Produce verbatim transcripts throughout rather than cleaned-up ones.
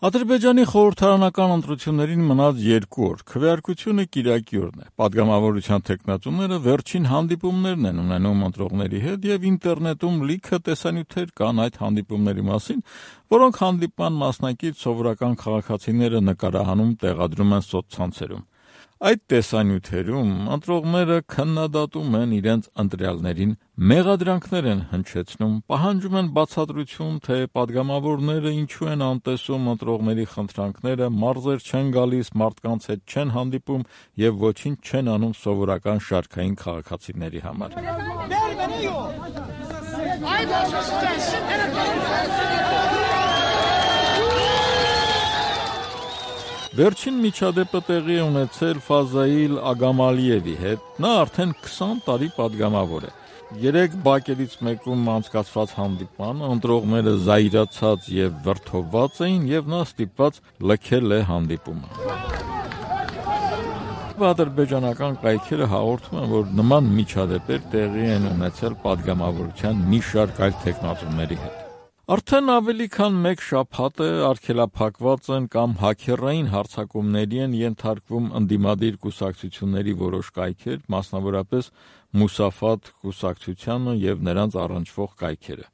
Ադրբեջանի խորհրդարանական ընտրություններին մնաց երկու օր, քվեարկությունը կիրակի օրն է։ Պատգամավորության թեկնածուները վերջին հանդիպումներն են ունենում ընտրողների հետ եւ ինտերնետում լիքը տեսանյութեր կան այդ հանդիպումների մասին, որոնք հանդիպման մասնակից սովորական քաղաքացիները նկարահանում տեղադրում են սոցցանցերում։ Այդ տեսանյութերում ընտրողները քննադատում են իրենց ընտրյալներին, մեղադրանքներ են հնչեցնում, պահանջում են բացատրություն, թե պատգամավորները ինչու են անտեսում ընտրողների խնդրանքները, մարզեր չեն գալիս, մարդկանց հետ չեն հանդիպում եւ ոչինչ չեն անում սովորական շարքային քաղաքացիների համար։ Վերջին միջադեպը տեղի է ունեցել Ֆազաիլ Ագամալիևի հետ, նա արդեն քսան տարի պատգամավոր է։ Երեք բակերից մեկում անցկացված հանդիպմանը ընտրողները զայրացած եւ վրդովված էին եւ նա ստիպված լքել է հանդիպումը։ Ադրբեջանական կայքերը հաղորդում են, որ նման միջադեպեր տեղի են ունեցել պատգամավորության մի շարք այլ թեկնածուների հետ։ Արդեն ավելի քան մեկ շաբաթ է արգելափակված են կամ հաքերային հարձակումների են ենթարկվում ընդդիմադիր կուսակցությունների որոշ կայքեր, մասնավորապես Մուսաֆաթ կուսակցությանը եւ նրանց առնչվող կայքերը։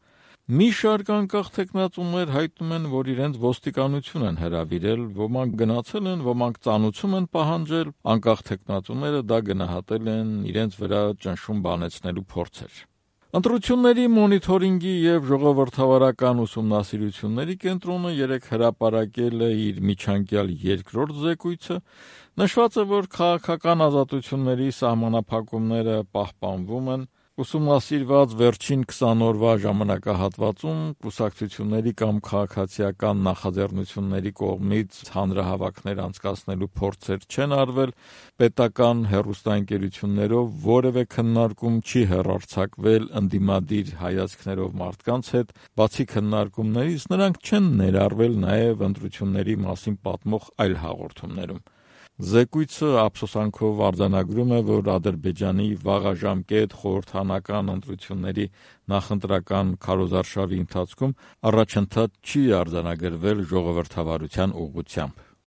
Մի շարք անկախ թեկնածուներ հայտնում են, որ իրենց ոստիկանություն են հրավիրել, ոմանք գնացել են, ոմանք ծանուցում են պահանջել, անկախ թեկնածուները դա գնահատել են իրենց վրա ճնշում բանեցնելու փորձեր։ Ընտրությունների մոնիթորինգի եւ ժողովրդավարական ուսումնասիրությունների կենտրոնը երեկ հրապարակել է իր միջանկյալ երկրորդ զեկույցը, նշված է, որ քաղաքական ազատությունների սահմանափակումները պահպանվում են, ուսումնասիրված վերջին քսան օրվա ժամանակահատվածում կուսակցությունների կամ քաղաքացիական նախաձեռնությունների կողմից հանրահավաքներ անցկացնելու փորձեր չեն արվել, պետական հեռուստաընկերություններով որևէ քննարկում չի հեռարձակվել ընդդիմադիր հայացքներով մարդկանց հետ, բացի քննարկումներից նրանք չեն ներառվել նաև ընտրությունների մասին պատմող այլ հաղորդումներում։ Զեկույցը ափսոսանքով արձանագրում է, որ Ադրբեջանի վաղաժամկետ խորհրդարանական ընտրությունների նախընտրական քարոզարշավի ընթացքում առաջընթաց չի արձանագրվել ժողովրդավարության ուղղությամբ։